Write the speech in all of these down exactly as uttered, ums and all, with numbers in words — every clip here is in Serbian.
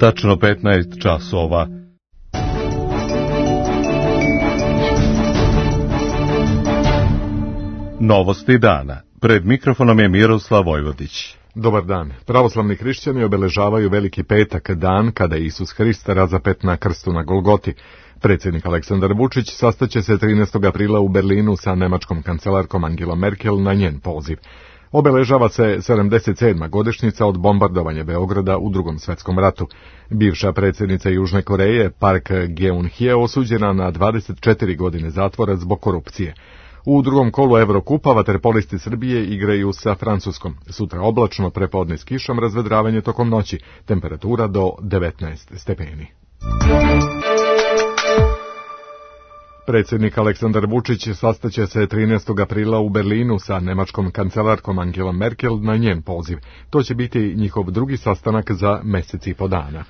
Tačno petnaest časova. Novosti dana. Pred mikrofonom je Miroslav Vojvodić. Dobar dan. Pravoslavni hrišćani obeležavaju Veliki petak, dan kada je Isus Hrist razapet na krstu na Golgoti. Predsjednik Aleksandar Vučić sastaće se trinaestog aprila u Berlinu sa nemačkom kancelarkom Angelom Merkel na njen poziv. Obeležava se sedamdeset sedma godišnjica od bombardovanja Beograda u Drugom svjetskom ratu. Bivša predsjednica Južne Koreje, Park Geun-hye, osuđena na dvadeset četiri godine zatvora zbog korupcije. U drugom kolu Evrokupa vaterpolisti Srbije igraju sa Francuskom. Sutra oblačno, prepodne s kišom, razvedravanje tokom noći. Temperatura do devetnaest stepeni. Predsjednik Aleksandar Vučić sastaće se trinaestog aprila u Berlinu sa nemačkom kancelarkom Angelom Merkel na njen poziv. To će biti njihov drugi sastanak za mjesec i po dana.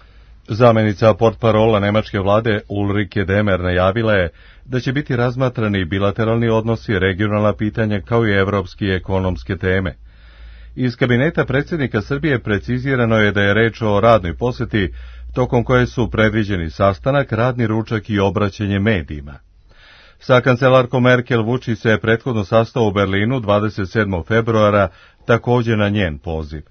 Zamenica portparola nemačke vlade Ulrike Demer najavila je da će biti razmatrani bilateralni odnosi, regionalna pitanja kao i evropske i ekonomske teme. Iz kabineta predsjednika Srbije precizirano je da je reč o radnoj posjeti, tokom koje su predviđeni sastanak, radni ručak i obraćanje medijima. Sa kancelarkom Merkel Vučić se prethodno sastao u Berlinu dvadeset sedmog februara, također na njen poziv.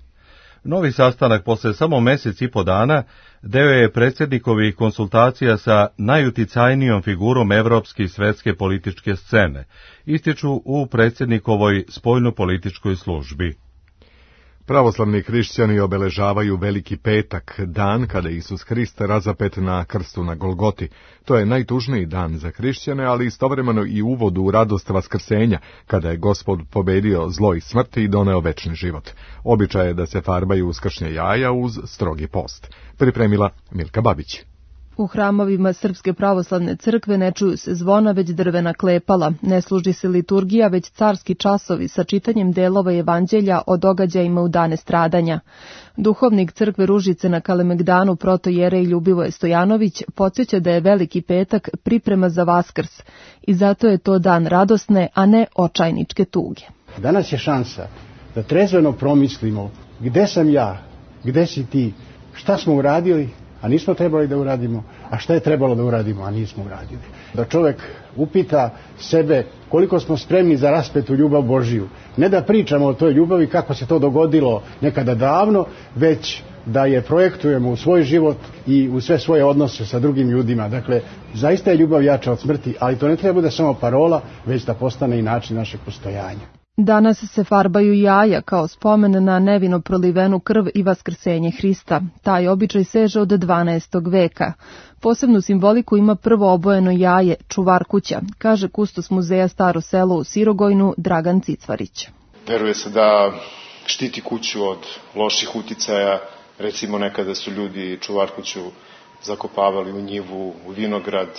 Novi sastanak posle samo mjesec i po dana deo je predsjednikovih konsultacija sa najuticajnijom figurom evropske i svetske političke scene, ističu u predsjednikovoj spoljnopolitičkoj službi. Pravoslavni hrišćani obeležavaju Veliki petak, dan kada je Isus Hrist razapet na krstu na Golgoti. To je najtužniji dan za hrišćane, ali istovremeno i uvod u radost vaskrsenja, kada je Gospod pobedio zlo i smrt i doneo večni život. Običaj je da se farbaju uskršnja jaja uz strogi post. Pripremila Milka Babić. U hramovima Srpske pravoslavne crkve ne čuju se zvona, već drvena klepala. Ne služi se liturgija, već carski časovi sa čitanjem delova evanđelja o događajima u dane stradanja. Duhovnik crkve Ružice na Kalemegdanu protojerej Ljubivoje Stojanović podsjeća da je Veliki petak priprema za Vaskrs i zato je to dan radosne, a ne očajničke tuge. Danas je šansa da trezveno promislimo gde sam ja, gde si ti, šta smo uradili, a nismo trebali da uradimo, a šta je trebalo da uradimo, a nismo uradili. Da čovjek upita sebe koliko smo spremni za raspetu ljubav Božiju. Ne da pričamo o toj ljubavi kako se to dogodilo nekada davno, već da je projektujemo u svoj život i u sve svoje odnose sa drugim ljudima. Dakle, zaista je ljubav jača od smrti, ali to ne treba bude samo parola, već da postane i način našeg postojanja. Danas se farbaju jaja kao spomen na nevino prolivenu krv i vaskrsenje Hrista. Taj običaj seže od dvanaestog veka. Posebnu simboliku ima prvo obojeno jaje, čuvar kuća, kaže kustos muzeja Staro selo u Sirogojnu Dragan Cicvarić. Veruje se da štiti kuću od loših uticaja. Recimo nekada su ljudi čuvar kuću zakopavali u njivu, u vinograd.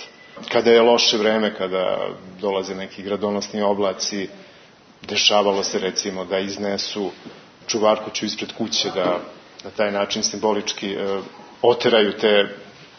Kada je loše vreme, kada dolaze neki gradonosni oblaci, dešavalo se recimo da iznesu čuvarkuću ispred kuće, da na taj način simbolički e, oteraju te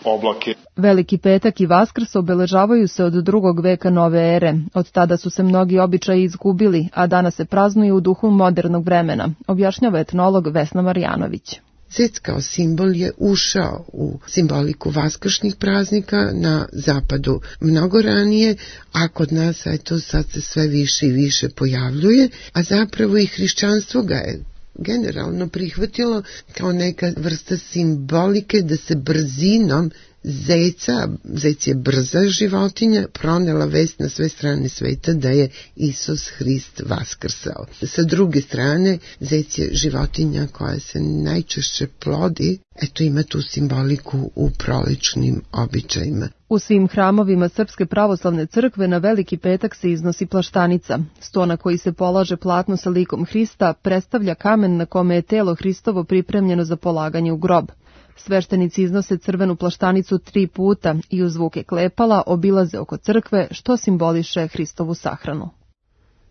oblake. Veliki petak i Vaskrs obeležavaju se od drugog veka nove ere. Od tada su se mnogi običaji izgubili, a danas se praznuju u duhu modernog vremena, objašnjava etnolog Vesna Marjanović. Zec kao simbol je ušao u simboliku vaskršnjih praznika na zapadu mnogo ranije, a kod nas eto sad se sve više i više pojavljuje, a zapravo i hrišćanstvo ga je generalno prihvatilo kao neka vrsta simbolike da se brzinom zeca, zec je brza životinja, pronela vest na sve strane sveta da je Isus Hrist vaskrsao. Sa druge strane, zec je životinja koja se najčešće plodi, eto ima tu simboliku u prolećnim običajima. U svim hramovima Srpske pravoslavne crkve na Veliki petak se iznosi plaštanica. Sto na koji se polaže platno sa likom Hrista predstavlja kamen na kome je telo Hristovo pripremljeno za polaganje u grob. Sveštenici iznose crvenu plaštanicu tri puta i uz zvuke klepala obilaze oko crkve, što simboliše Hristovu sahranu.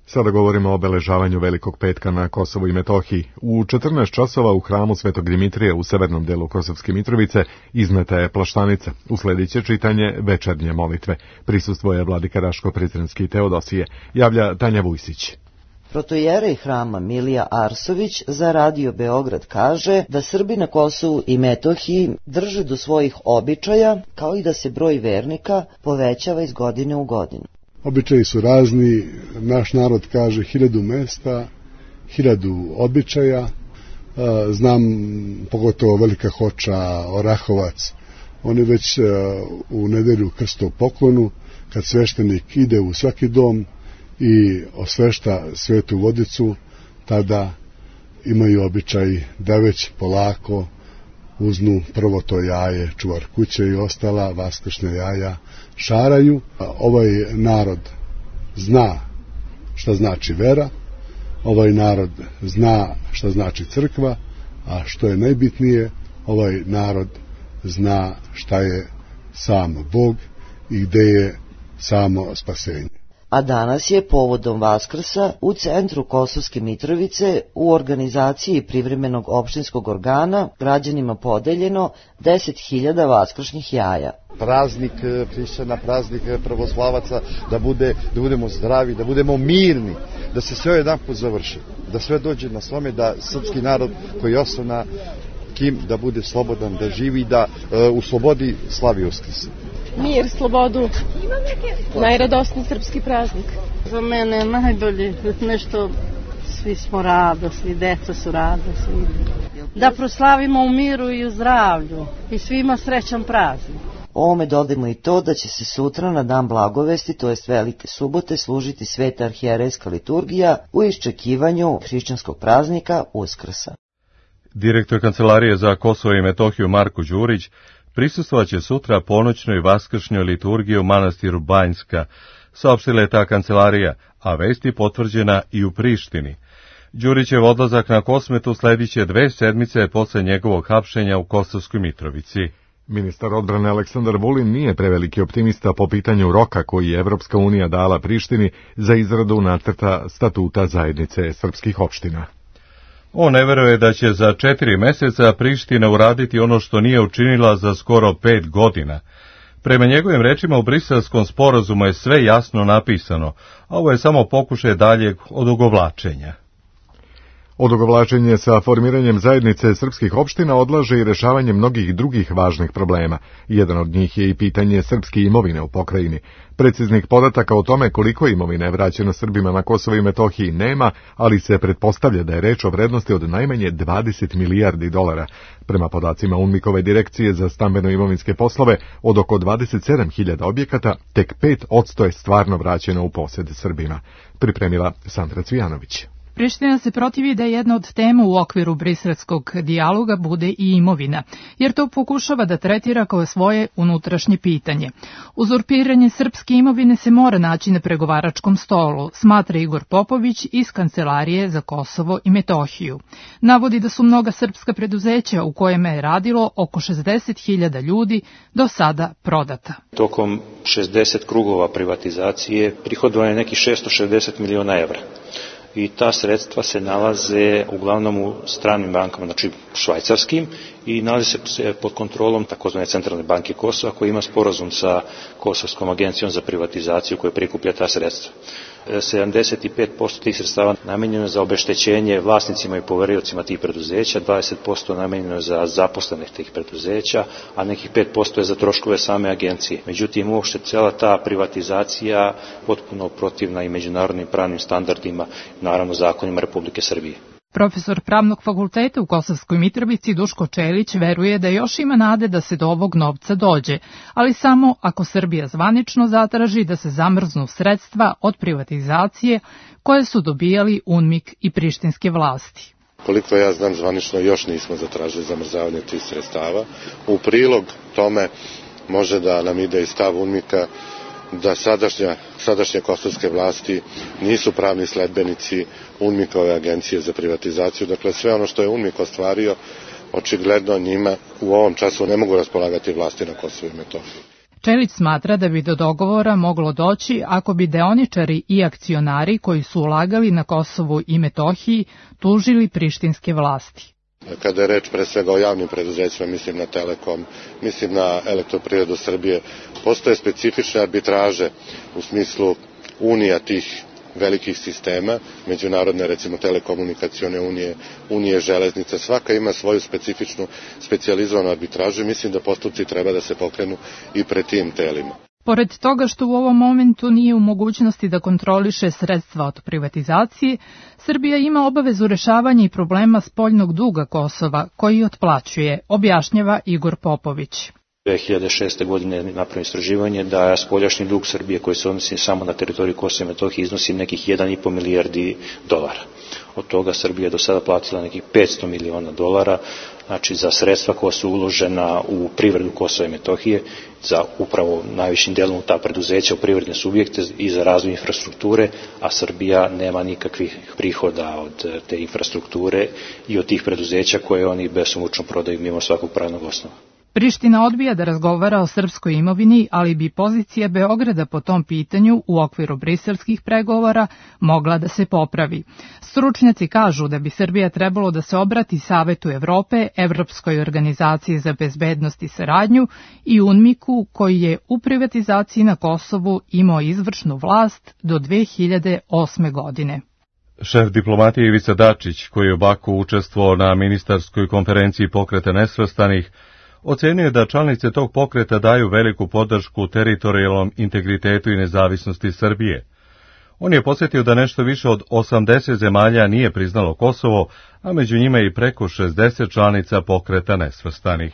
Sada govorimo o obeležavanju Velikog petka na Kosovu i Metohiji. U četrnaest časova u hramu Svetog Dimitrija u severnom delu Kosovske Mitrovice izneta je plaštanica. Usledit će čitanje večernje molitve. Prisustvuje vladika Raško Prizrenski Teodosije, javlja Tanja Vujsić. Protojerej hrama Milija Arsović za Radio Beograd kaže da Srbi na Kosovu i Metohiji drže do svojih običaja, kao i da se broj vernika povećava iz godine u godinu. Običaji su razni, naš narod kaže hiljadu mesta, hiljadu običaja. Znam pogotovo Velika Hoča, Orahovac, oni već u nedelju krstu poklonu, kad sveštenik ide u svaki dom i osvešta svetu vodicu, tada imaju običaj da već polako uznu prvo to jaje, čuvar kuće i ostala vaskršnja jaja šaraju. Ovaj narod zna šta znači vera, ovaj narod zna šta znači crkva, a što je najbitnije, ovaj narod zna šta je sam Bog i gde je samo spasenje. A danas je povodom Vaskrsa u centru Kosovske Mitrovice u organizaciji privremenog opštinskog organa građanima podeljeno deset hiljada vaskršnjih jaja. Praznik hrišćana, praznik pravoslavaca, da, bude, da budemo zdravi, da budemo mirni, da se sve jedan put završi, da sve dođe na svome, da srpski narod koji je ostao na kim, da bude slobodan, da živi, da uh, u slobodi slavi Uskrs. Mir, slobodu, najradosniji srpski praznik. Za mene najbolje nešto, svi smo rado, svi deca su rado, svi. Da proslavimo u miru i u zdravlju i svima srećan praznik. Ovome dodajmo i to da će se sutra na dan Blagovesti, to jest Velike subote, služiti sveta arhijerejska liturgija u iščekivanju hrišćanskog praznika Uskrsa. Direktor Kancelarije za Kosovo i Metohiju Marko Đurić prisustvovaće sutra ponoćnoj vaskršnjoj liturgiji u manastiru Banjska, saopštila je ta kancelarija, a vest je potvrđena i u Prištini. Đurićev odlazak na Kosmetu slediće dve sedmice posle njegovog hapšenja u Kosovskoj Mitrovici. Ministar odbrane Aleksandar Vulin nije preveliki optimista po pitanju roka koji je Evropska unija dala Prištini za izradu nacrta statuta zajednice srpskih opština. On ne veruje da će za četiri meseca Priština uraditi ono što nije učinila za skoro pet godina. Prema njegovim rečima u Briselskom sporazumu je sve jasno napisano, a ovo je samo pokušaj daljeg odugovlačenja. Odugovlačenje sa formiranjem zajednice srpskih opština odlaže i rešavanje mnogih drugih važnih problema. Jedan od njih je i pitanje srpske imovine u pokrajini. Preciznih podataka o tome koliko imovine je vraćeno Srbima na Kosovo i Metohiji nema, ali se pretpostavlja da je reč o vrednosti od najmanje dvadeset milijardi dolara. Prema podacima UNMIK-ove direkcije za stambeno-imovinske poslove, od oko dvadeset sedam hiljada objekata, tek pet posto je stvarno vraćeno u posed Srbima. Pripremila Sandra Cvijanović. Priština se protivi da jedna od tema u okviru briselskog dijaloga bude i imovina, jer to pokušava da tretira kao svoje unutrašnje pitanje. Uzurpiranje srpske imovine se mora naći na pregovaračkom stolu, smatra Igor Popović iz Kancelarije za Kosovo i Metohiju. Navodi da su mnoga srpska preduzeća u kojima je radilo oko šezdeset hiljada ljudi do sada prodata. Tokom šezdeset krugova privatizacije prihodovano je nekih šesto šezdeset miliona evra. I ta sredstva se nalaze uglavnom u stranim bankama, znači švajcarskim, i nalaze se pod kontrolom takozvane Centralne banke Kosova, koja ima sporazum sa Kosovskom agencijom za privatizaciju koja prikuplja ta sredstva. sedamdeset pet posto tih sredstava namenjeno je za obeštećenje vlasnicima i poveriocima tih preduzeća, dvadeset posto namenjeno je za zaposlene tih preduzeća, a nekih pet posto je za troškove same agencije. Međutim, uopšte cela ta privatizacija potpuno protivna i međunarodnim pravnim standardima, naravno zakonima Republike Srbije. Profesor Pravnog fakulteta u Kosovskoj Mitrovici Duško Čelić veruje da još ima nade da se do ovog novca dođe, ali samo ako Srbija zvanično zatraži da se zamrznu sredstva od privatizacije koje su dobijali UNMIK i prištinske vlasti. Koliko ja znam, zvanično još nismo zatražili zamrzavanje tih sredstava. U prilog tome može da nam ide i stav UNMIK-a da sadašnja, sadašnje kosovske vlasti nisu pravni sledbenici UNMIK-ove agencije za privatizaciju. Dakle, sve ono što je UNMIK ostvario, očigledno njima u ovom času ne mogu raspolagati vlasti na Kosovu i Metohiji. Čelić smatra da bi do dogovora moglo doći ako bi deoničari i akcionari koji su ulagali na Kosovu i Metohiji tužili prištinske vlasti. Kada je reč pre svega o javnim preduzećima, mislim na Telekom, mislim na Elektroprivredu Srbije, postoje specifične arbitraže u smislu unija tih velikih sistema, međunarodne recimo telekomunikacione unije, unije železnica, svaka ima svoju specifičnu specijalizovanu arbitražu i mislim da postupci treba da se pokrenu i pred tim telima. Pored toga što u ovom momentu nije u mogućnosti da kontroliše sredstva od privatizacije, Srbija ima obavezu rešavanja i problema spoljnog duga Kosova, koji otplaćuje, objašnjava Igor Popović. dve hiljade šeste. godine je napravljeno istraživanje da spoljašnji dug Srbije koji se odnosi samo na teritoriju Kosova i Metohije iznosi nekih jedan i po milijardi dolara. Od toga Srbija je do sada platila nekih petsto miliona dolara, znači za sredstva koja su uložena u privredu Kosova i Metohije, za upravo najvišim delom u ta preduzeća, u privredne subjekte i za razvoj infrastrukture, a Srbija nema nikakvih prihoda od te infrastrukture i od tih preduzeća koje oni besomučno prodaju mimo svakog pravnog osnova. Priština odbija da razgovara o srpskoj imovini, ali bi pozicija Beograda po tom pitanju u okviru briselskih pregovora mogla da se popravi. Stručnjaci kažu da bi Srbija trebalo da se obrati Savetu Evrope, Evropskoj organizaciji za bezbednost i saradnju i UNMIK-u, koji je u privatizaciji na Kosovu imao izvršnu vlast do dve hiljade osme. godine. Šef diplomatije Ivica Dačić, koji je u Baku učestvovao na ministarskoj konferenciji Pokreta nesvrstanih, ocenio je da članice tog pokreta daju veliku podršku teritorijalnom integritetu i nezavisnosti Srbije. On je podsjetio da nešto više od osamdeset zemalja nije priznalo Kosovo, a među njima i preko šezdeset članica Pokreta nesvrstanih.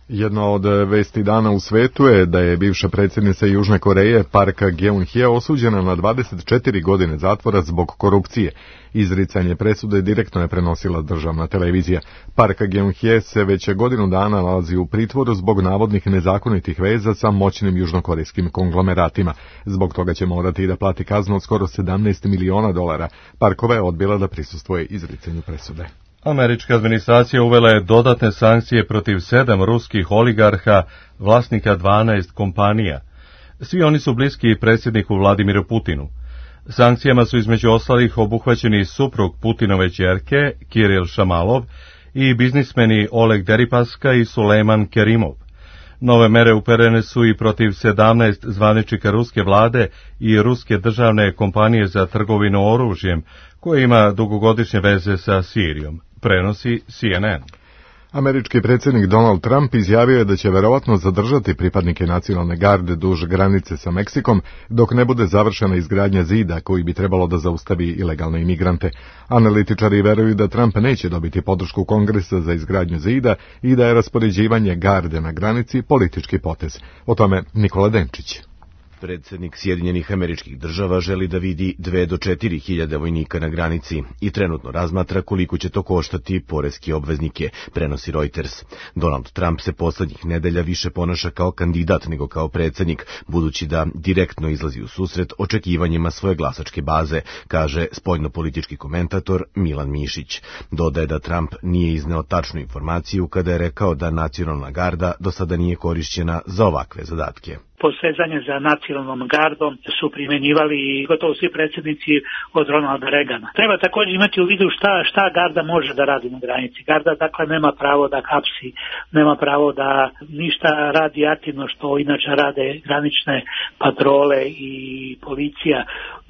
Jedna od vesti dana u svetu je da je bivša predsjednica Južne Koreje Park Geun-hye osuđena na dvadeset četiri godine zatvora zbog korupcije. Izricanje presude direktno je prenosila državna televizija. Park Geun-hye se već godinu dana nalazi u pritvoru zbog navodnih nezakonitih veza sa moćnim južnokorejskim konglomeratima. Zbog toga će morati da plati kaznu od skoro sedamnaest miliona dolara. Parkova je odbila da prisustvuje izricanju presude. Američka administracija uvela je dodatne sankcije protiv sedam ruskih oligarha, vlasnika dvanaest kompanija. Svi oni su bliski predsjedniku Vladimiru Putinu. Sankcijama su između ostalih obuhvaćeni suprug Putinove ćerke, Kiril Šamalov, i biznismeni Oleg Deripaska i Sulejman Kerimov. Nove mere uperene su i protiv sedamnaest zvaničnika ruske vlade i ruske državne kompanije za trgovinu oružjem, koja ima dugogodišnje veze sa Sirijom, prenosi C N N. Američki predsjednik Donald Trump izjavio je da će verovatno zadržati pripadnike nacionalne garde duž granice sa Meksikom dok ne bude završena izgradnja zida koji bi trebalo da zaustavi ilegalne imigrante. Analitičari veruju da Trump neće dobiti podršku Kongresa za izgradnju zida i da je raspoređivanje garde na granici politički potez. O tome Nikola Denčić. Predsjednik Sjedinjenih Američkih Država želi da vidi dve do četiri hiljade vojnika na granici i trenutno razmatra koliko će to koštati poreske obveznike, prenosi Reuters. Donald Trump se poslednjih nedelja više ponaša kao kandidat nego kao predsjednik, budući da direktno izlazi u susret očekivanjima svoje glasačke baze, kaže spoljnopolitički komentator Milan Mišić. Dodaje da Trump nije izneo tačnu informaciju kada je rekao da nacionalna garda do sada nije korišćena za ovakve zadatke. Posezanje za nacionalnom gardom su primjenjivali gotovo svi predsjednici od Ronalda Reagana. Treba također imati u vidu šta, šta garda može da radi na granici. Garda dakle nema pravo da hapsi, nema pravo da ništa radi aktivno što inače rade granične patrole i policija.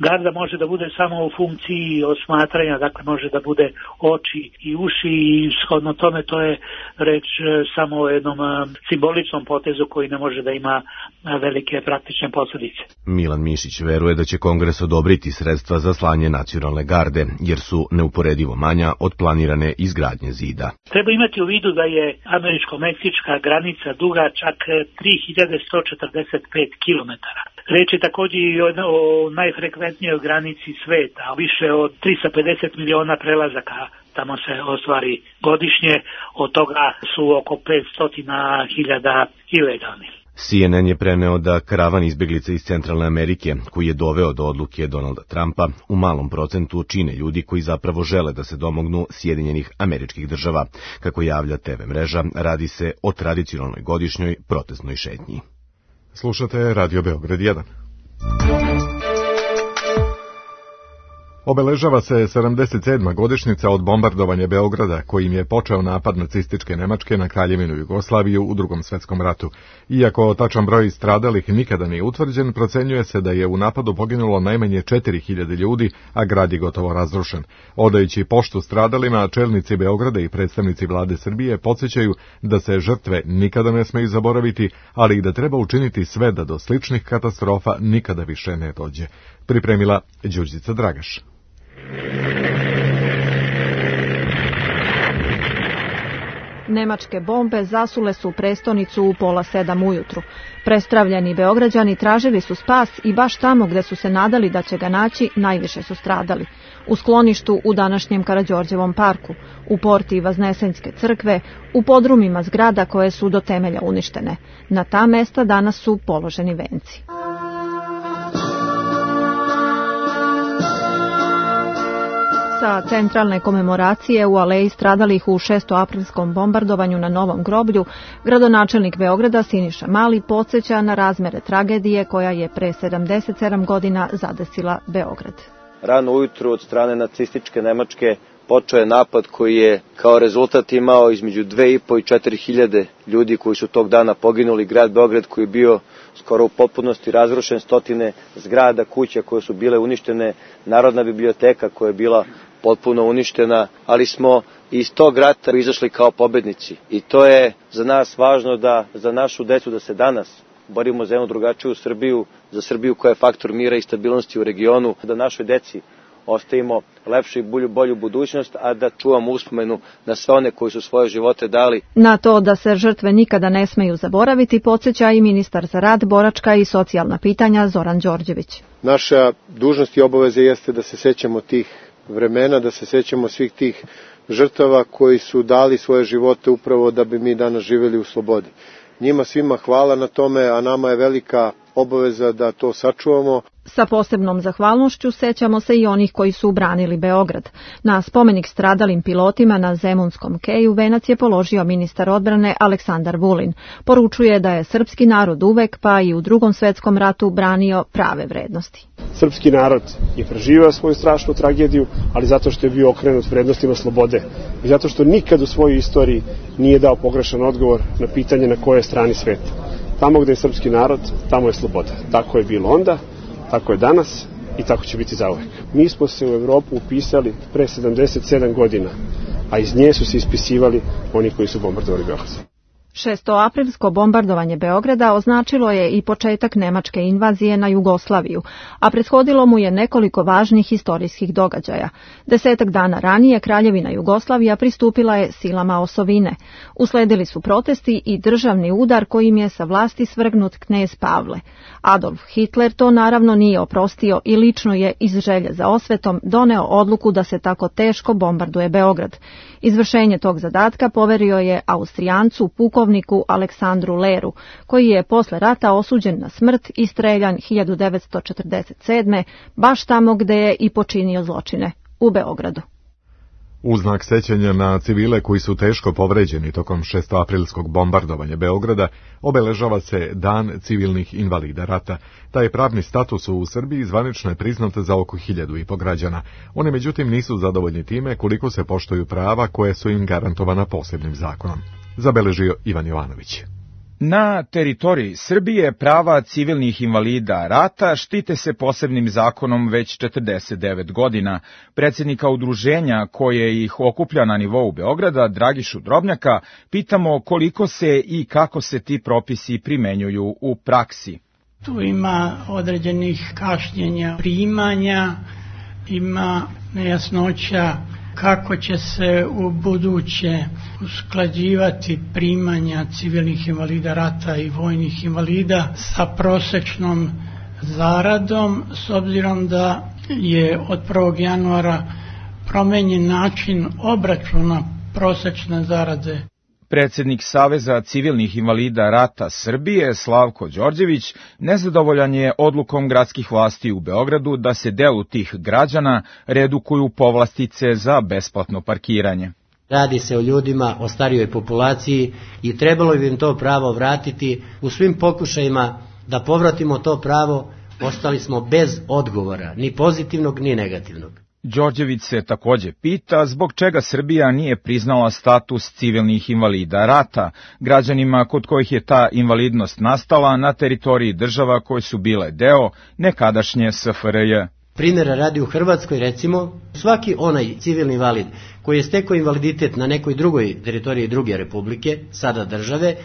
Garda može da bude samo u funkciji osmatranja, dakle može da bude oči i uši i shodno tome to je reč samo o jednom simboličnom potezu koji ne može da ima velike praktične posljedice. Milan Mišić veruje da će Kongres odobriti sredstva za slanje nacionalne garde, jer su neuporedivo manja od planirane izgradnje zida. Treba imati u vidu da je američko-meksička granica duga čak tri hiljade sto četrdeset pet kilometara. Reč je također i o, o najfrekventnijoj granici sveta, više od tristo pedeset miliona prelazaka tamo se ostvari godišnje, od toga su oko petsto hiljada ilegalnih. C N N je preneo da karavan izbjeglica iz Centralne Amerike, koji je doveo do odluke Donalda Trumpa, u malom procentu čine ljudi koji zapravo žele da se domognu Sjedinjenih Američkih Država. Kako javlja T V mreža, radi se o tradicionalnoj godišnjoj protestnoj šetnji. Slušate Radio Beograd jedan. Obeležava se sedamdeset sedma godišnjica od bombardovanja Beograda, kojim je počeo napad nacističke Nemačke na Kraljevinu Jugoslaviju u Drugom svetskom ratu. Iako tačan broj stradalih nikada nije utvrđen, procenjuje se da je u napadu poginulo najmanje četiri hiljade ljudi, a grad je gotovo razrušen. Odajući poštu stradalima, čelnici Beograda i predstavnici vlade Srbije podsjećaju da se žrtve nikada ne smeju zaboraviti, ali i da treba učiniti sve da do sličnih katastrofa nikada više ne dođe. Pripremila Đurđica Dragaš. Nemačke bombe zasule su prestonicu u pola sedam ujutru. Prestravljeni Beograđani tražili su spas i baš tamo gde su se nadali da će ga naći, najviše su stradali. U skloništu u današnjem Karađorđevom parku, u porti Vaznesenjske crkve, u podrumima zgrada koje su do temelja uništene. Na ta mesta danas su položeni venci. Sa centralne komemoracije u aleji stradalih u šestoaprilskom bombardovanju na Novom groblju, gradonačelnik Beograda Siniša Mali podsjeća na razmere tragedije koja je pre sedamdeset sedam godina zadesila Beograd. Rano ujutru od strane nacističke Nemačke počeo je napad koji je kao rezultat imao između dve i po i četiri hiljade ljudi koji su tog dana poginuli. Grad Beograd koji je bio skoro u potpunosti razrušen, stotine zgrada, kuća koje su bile uništene, Narodna biblioteka koja je bila potpuno uništena, ali smo iz tog rata izašli kao pobednici. I to je za nas važno, da za našu decu da se danas borimo za jednu drugačiju Srbiju, za Srbiju koja je faktor mira i stabilnosti u regionu, da našoj deci ostavimo lepšu i bolju, bolju budućnost, a da čuvamo uspomenu na sve one koji su svoje živote dali. Na to da se žrtve nikada ne smeju zaboraviti podsjeća i ministar za rad, boračka i socijalna pitanja Zoran Đorđević. Naša dužnost i obaveza jeste da se sećamo tih vremena, da se sećamo svih tih žrtava koji su dali svoje živote upravo da bi mi danas živjeli u slobodi. Njima svima hvala na tome, a nama je velika obaveza da to sačuvamo. Sa posebnom zahvalnošću sećamo se i onih koji su branili Beograd. Na spomenik stradalim pilotima na Zemunskom keju venac je položio ministar odbrane Aleksandar Vulin. Poručuje da je srpski narod uvek, pa i u Drugom svetskom ratu, branio prave vrednosti. Srpski narod je preživao svoju strašnu tragediju, ali zato što je bio okrenut vrednostima slobode i zato što nikad u svojoj istoriji nije dao pogrešan odgovor na pitanje na kojoj strani sveta. Tamo gde je srpski narod, tamo je sloboda. Tako je bilo onda, tako je danas i tako će biti zauvek. Mi smo se u Evropu upisali pre sedamdeset sedam godina, a iz nje su se ispisivali oni koji su bombardovali Beograd. Šestoaprilsko bombardovanje Beograda označilo je i početak nemačke invazije na Jugoslaviju, a prethodilo mu je nekoliko važnih istorijskih događaja. Desetak dana ranije Kraljevina Jugoslavija pristupila je silama osovine. Usledili su protesti i državni udar kojim je sa vlasti svrgnut knez Pavle. Adolf Hitler to naravno nije oprostio i lično je iz želje za osvetom doneo odluku da se tako teško bombarduje Beograd. Izvršenje tog zadatka poverio je Austrijancu pukovniku Aleksandru Leru, koji je posle rata osuđen na smrt i streljan hiljadu devetsto četrdeset sedme baš tamo gde je i počinio zločine, u Beogradu. U znak sećanja na civile koji su teško povređeni tokom šestoaprilskog bombardovanja Beograda, obeležava se Dan civilnih invalida rata. Taj pravni status u Srbiji zvanično je priznat za oko hiljadu i po građana. One međutim nisu zadovoljni time koliko se poštuju prava koje su im garantovana posebnim zakonom. Zabeležio Ivan Jovanović. Na teritoriji Srbije prava civilnih invalida rata štite se posebnim zakonom već četrdeset devet godina. Predsjednika udruženja koje ih okuplja na nivou Beograda, Dragišu Drobnjaka, pitamo koliko se i kako se ti propisi primenjuju u praksi. Tu ima određenih kašnjenja primanja, ima nejasnoća kako će se u buduće usklađivati primanja civilnih invalida rata i vojnih invalida sa prosečnom zaradom, s obzirom da je od prvog januara promenjen način obračuna prosečne zarade. Predsjednik Saveza civilnih invalida rata Srbije, Slavko Đorđević, nezadovoljan je odlukom gradskih vlasti u Beogradu da se delu tih građana redukuju povlastice za besplatno parkiranje. Radi se o ljudima, o starijoj populaciji i trebalo bi im to pravo vratiti. U svim pokušajima da povratimo to pravo, ostali smo bez odgovora, ni pozitivnog, ni negativnog. Đorđević se takođe pita zbog čega Srbija nije priznala status civilnih invalida rata građanima kod kojih je ta invalidnost nastala na teritoriji država koje su bile deo nekadašnje S F R J. Primjera radi u Hrvatskoj, recimo, svaki onaj civilni invalid koji je stekao invaliditet na nekoj drugoj teritoriji druge republike, sada države,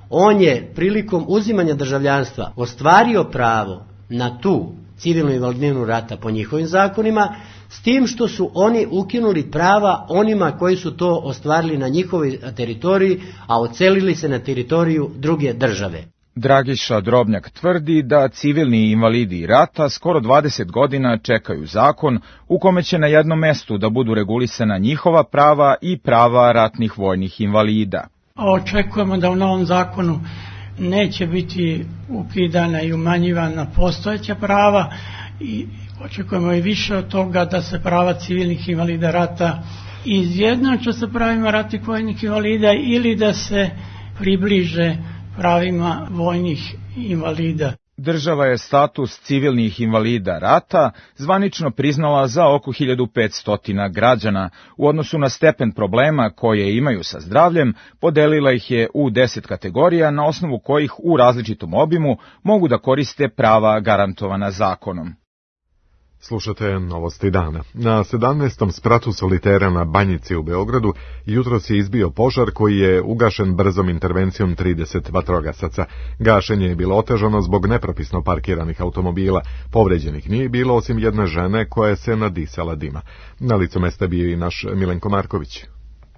on je prilikom uzimanja državljanstva ostvario pravo na tu civilnu invalidninu rata po njihovim zakonima, s tim što su oni ukinuli prava onima koji su to ostvarili na njihovoj teritoriji, a odselili se na teritoriju druge države. Dragiša Drobnjak tvrdi da civilni invalidi rata skoro dvadeset godina čekaju zakon u kome će na jednom mestu da budu regulisana njihova prava i prava ratnih vojnih invalida. Očekujemo da u novom zakonu neće biti ukidana i umanjivana postojeća prava i očekujemo i više od toga da se prava civilnih invalida rata izjednače sa pravima ratnih vojnih invalida ili da se približe pravima vojnih invalida. Država je status civilnih invalida rata zvanično priznala za oko hiljadu petsto građana. U odnosu na stepen problema koje imaju sa zdravljem, podelila ih je u deset kategorija na osnovu kojih u različitom obimu mogu da koriste prava garantovana zakonom. Slušate novosti dana. Na sedamnaestom spratu solitera na Banjici u Beogradu jutros je izbio požar koji je ugašen brzom intervencijom trideset vatrogasaca. Gašenje je bilo otežano zbog nepropisno parkiranih automobila. Povređenih nije bilo osim jedne žene koja se nadisala dima. Na licu mesta bio i naš Milenko Marković.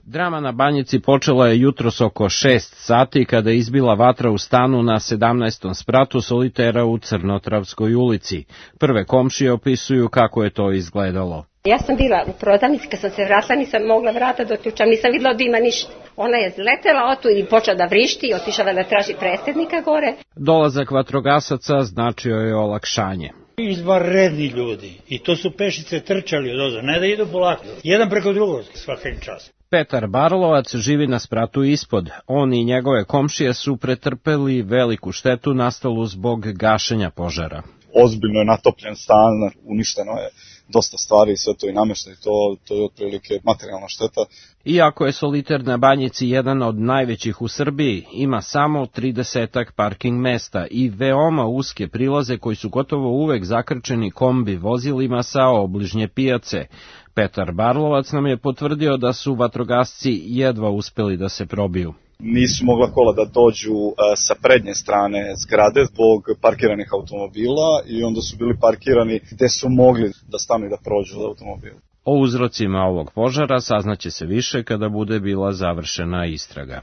Drama na Banjici počela je jutros oko šest sati kada je izbila vatra u stanu na sedamnaestom spratu solitera u Crnotravskoj ulici. Prve komšije opisuju kako je to izgledalo. Ja sam bila u prodavnici, kad sam se vratila nisam mogla vrata da otključam, nisam videla od dima ništa. Ona je zletela otu i počela da vrišti i otišala da traži predsjednika gore. Dolazak vatrogasaca značio je olakšanje. Izvanredni ljudi i to su pešice trčali od ozda, ne da idu polako, jedan preko drugog svaki čas. Petar Barlovac živi na spratu ispod. On i njegove komšije su pretrpeli veliku štetu nastalu zbog gašenja požara. Ozbiljno je natopljen stan, uništeno je dosta stvari, sve to i namještaj, to, to je otprilike materijalna šteta. Iako je soliter na Banjici jedan od najvećih u Srbiji, ima samo tridesetak parking mesta i veoma uske prilaze koji su gotovo uvek zakrčeni kombi vozilima sa obližnje pijace. Petar Barlovac nam je potvrdio da su vatrogasci jedva uspeli da se probiju. Nisu mogla kola da dođu sa prednje strane zgrade zbog parkiranih automobila i onda su bili parkirani gde su mogli da stanu i da prođu od automobila. O uzrocima ovog požara saznaće se više kada bude bila završena istraga.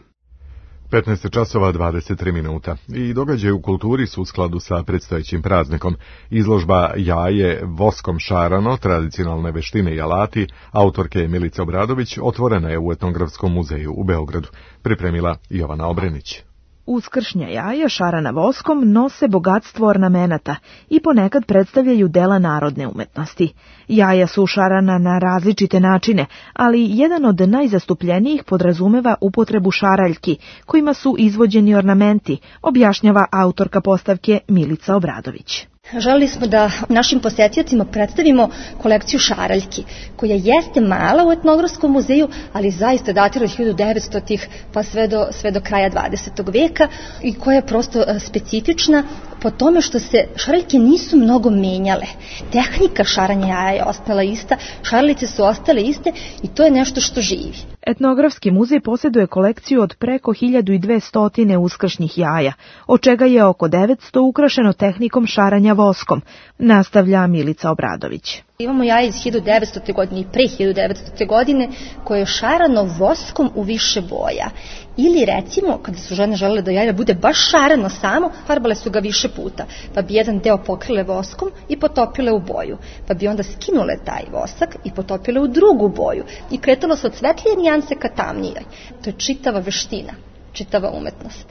petnaest časova dvadeset tri minuta i događaj u kulturi su u skladu sa predstojećim praznikom. Izložba Jaje voskom šarano, tradicionalne veštine i alati, autorke Milice Obradović, otvorena je u Etnografskom muzeju u Beogradu. Pripremila Jovana Obrenić. Uskršnja jaja šarana voskom nose bogatstvo ornamenata i ponekad predstavljaju dela narodne umetnosti. Jaja su šarana na različite načine, ali jedan od najzastupljenijih podrazumeva upotrebu šaraljki, kojima su izvođeni ornamenti, objašnjava autorka postavke Milica Obradović. Želeli smo da našim posetiocima predstavimo kolekciju šaraljki, koja jeste mala u Etnografskom muzeju, ali zaista datira od hiljadu devetstotih pa sve do, sve do kraja dvadesetog veka i koja je prosto specifična po tome što se šaraljke nisu mnogo menjale. Tehnika šaranja jaja je ostala ista, šaralice su ostale iste i to je nešto što živi. Etnografski muzej posjeduje kolekciju od preko hiljadu dvesta uskršnjih jaja, od čega je oko devetsto ukrašeno tehnikom šaranja voskom, nastavlja Milica Obradović. Imamo jaje iz hiljadu devetstote. godine i pre hiljadu devetstote. godine koje je šarano voskom u više boja. Ili recimo, kada su žene želele da jaje bude baš šarano samo, farbale su ga više puta, pa bi jedan deo pokrile voskom i potopile u boju, pa bi onda skinule taj vosak i potopile u drugu boju i kretalo se od svetlije nijanse ka tamnijoj. To je čitava veština, čitava umetnost.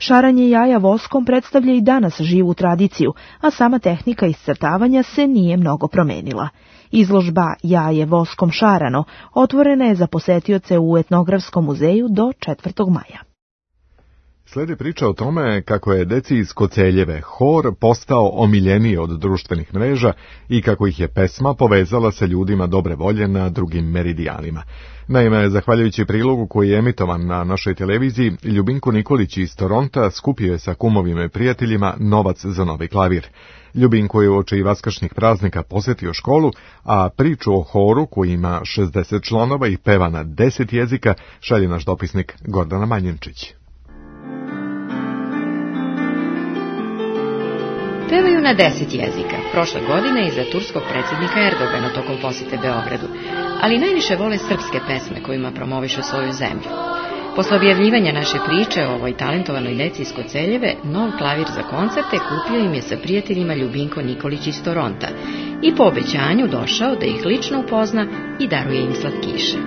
Šaranje jaja voskom predstavlja i danas živu tradiciju, a sama tehnika iscrtavanja se nije mnogo promenila. Izložba Jaje voskom šarano otvorena je za posetioce u Etnografskom muzeju do četvrtog maja. Sledi priča o tome kako je deci iz Koceljeve hor postao omiljeniji od društvenih mreža i kako ih je pesma povezala sa ljudima dobre volje na drugim meridijanima. Naime, zahvaljujući prilogu koji je emitovan na našoj televiziji, Ljubinko Nikolić iz Toronta skupio je sa kumovima i prijateljima novac za novi klavir. Ljubinko je uoči vaskršnjih praznika posjetio školu, a priču o horu koji ima šezdeset članova i peva na deset jezika šalje naš dopisnik Gordana Manjenčić. Pevaju na deset jezika, prošle godine i za turskog predsjednika Erdogana tokom posjete Beogradu, ali najviše vole srpske pesme kojima promovišu svoju zemlju. Posle objavljivanja naše priče o ovoj talentovanoj deci iz Koceljeve, nov klavir za koncerte kupio im je sa prijateljima Ljubinko Nikolić iz Toronta i po obećanju došao da ih lično upozna i daruje im slatkiše.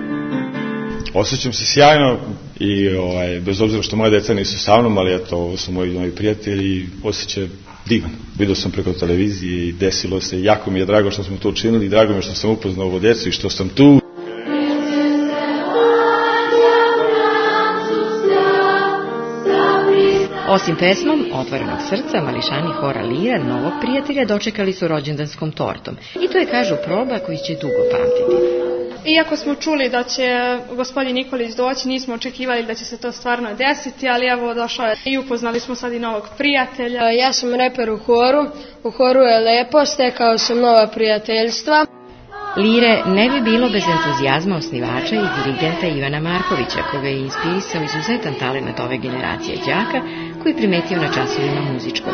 Osjećam se sjajno i ovaj, bez obzira što moje deca nisu sa mnom, ali eto, ovo su moji novi prijatelji i osjećaj divan. Vidio sam preko televizije i desilo se, jako mi je drago što smo to učinili i drago mi je što sam upoznao ovo djecu i što sam tu. Osim pesmom Otvorenog srca, mališani hora Lira novog prijatelja dočekali su rođendanskom tortom. I to je, kažu, proba koji će dugo pamtiti. Iako smo čuli da će gospodin Nikolić doći, nismo očekivali da će se to stvarno desiti, ali evo došao je i upoznali smo sad i novog prijatelja. Ja sam reper u horu, u horu je lepo, stekao sam nova prijateljstva. Lire ne bi bilo bez entuzijazma osnivača i dirigenta Ivana Markovića, koga je inspirisao izuzetan talent ove generacije đaka koji primetio na časovima muzičkog.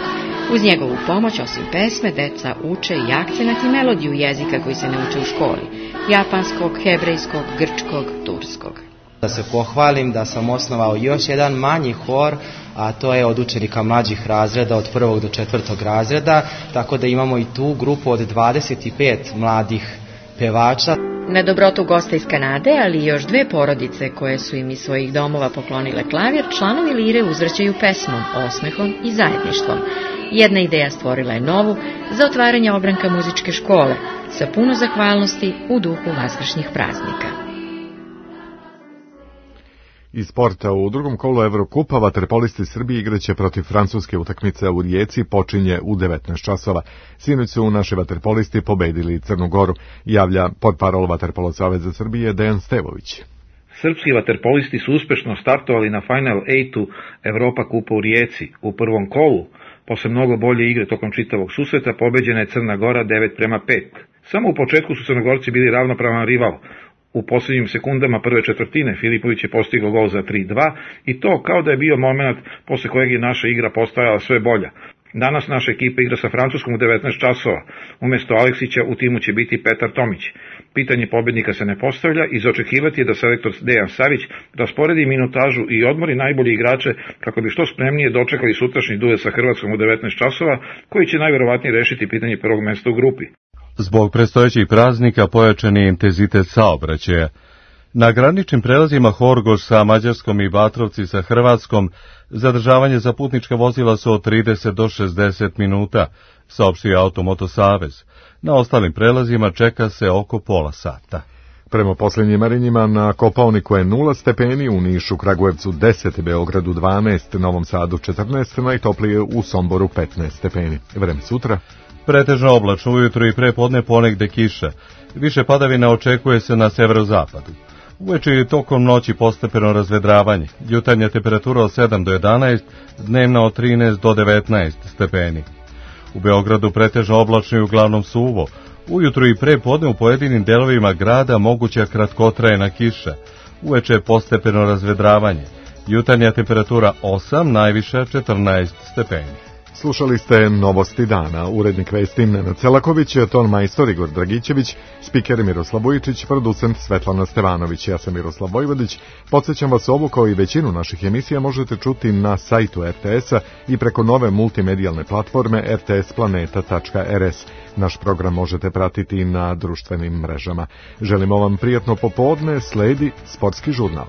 Uz njegovu pomoć, osim pesme, deca uče i akcenat i melodiju jezika koji se ne uče u školi: japanskog, hebrejskog, grčkog, turskog. Da se pohvalim da sam osnovao još jedan manji hor, a to je od učenika mlađih razreda, od prvog do četvrtog razreda, tako da imamo i tu grupu od dvadeset pet mladih pevača. Na dobrotu gosta iz Kanade, ali i još dve porodice koje su im iz svojih domova poklonile klavir, članovi Lire uzvraćaju pesmom, osmehom i zajedništvom. Jedna ideja stvorila je novu za otvaranje ogranka muzičke škole sa puno zahvalnosti u duhu vaskršnjih praznika. Iz sporta, u drugom kolu Evrokupa vaterpolisti Srbije igraće protiv francuske. Utakmice u Rijeci počinje u devetnaest časova. Sinoć su naši vaterpolisti pobedili Crnu Goru, javlja portparol Vaterpolo saveza Srbije Dejan Stevović. Srpski vaterpolisti su uspešno startovali na Final osam Evropa kupa u Rijeci. U prvom kolu, posle mnogo bolje igre tokom čitavog susreta, pobeđena je Crna Gora devet prema pet. Samo u početku su Crnogorci bili ravnopravan rival. U posljednjim sekundama prve četvrtine Filipović je postigao gol za tri dva i to kao da je bio moment posle kojeg je naša igra postajala sve bolja. Danas naša ekipa igra sa Francuskom u devetnaest časova. Umjesto Aleksića u timu će biti Petar Tomić. Pitanje pobednika se ne postavlja i za očekivati je da selektor Dejan Savić rasporedi minutažu i odmori najbolji igrače kako bi što spremnije dočekali sutrašnji duel sa Hrvatskom u devetnaest časova, koji će najverovatnije rešiti pitanje prvog mesta u grupi. Zbog predstojećih praznika pojačan je intenzitet saobraćaja. Na graničnim prelazima Horgoš sa Mađarskom i Batrovci sa Hrvatskom zadržavanje za putnička vozila su od trideset do šezdeset minuta, saopštio Automoto Savez. Na ostalim prelazima čeka se oko pola sata. Prema posljednjim merenjima na Kopaoniku je nula stepeni, u Nišu, Kragujevcu deset, Beogradu dvanaest, Novom Sadu četrnaest, najtoplije u Somboru petnaest stepeni. Vreme sutra. Pretežno oblačno ujutro i prepodne ponegde kiša. Više padavina očekuje se na severozapadu. Uveče i tokom noći postepeno razvedravanje. Jutarnja temperatura od sedam do jedanaest, dnevna od trinaest do devetnaest stepeni. U Beogradu pretežno oblačno i uglavnom suvo. Ujutro i prepodne u pojedinim delovima grada moguća kratkotrajna kiša. Uveče postepeno razvedravanje. Jutarnja temperatura osam, najviša četrnaest stepeni. Slušali ste Novosti dana, urednik vesti Nenad Celaković, ton majstor Igor Dragićević, spiker Miroslav Vujičić, producent Svetlana Stevanović. Ja sam Miroslav Vojvodić. Podsjećam vas, ovu kao i većinu naših emisija možete čuti na sajtu er te esa i preko nove multimedijalne platforme er te es planeta tačka er es. Naš program možete pratiti na društvenim mrežama. Želimo vam prijatno popodne, sledi Sportski žurnal.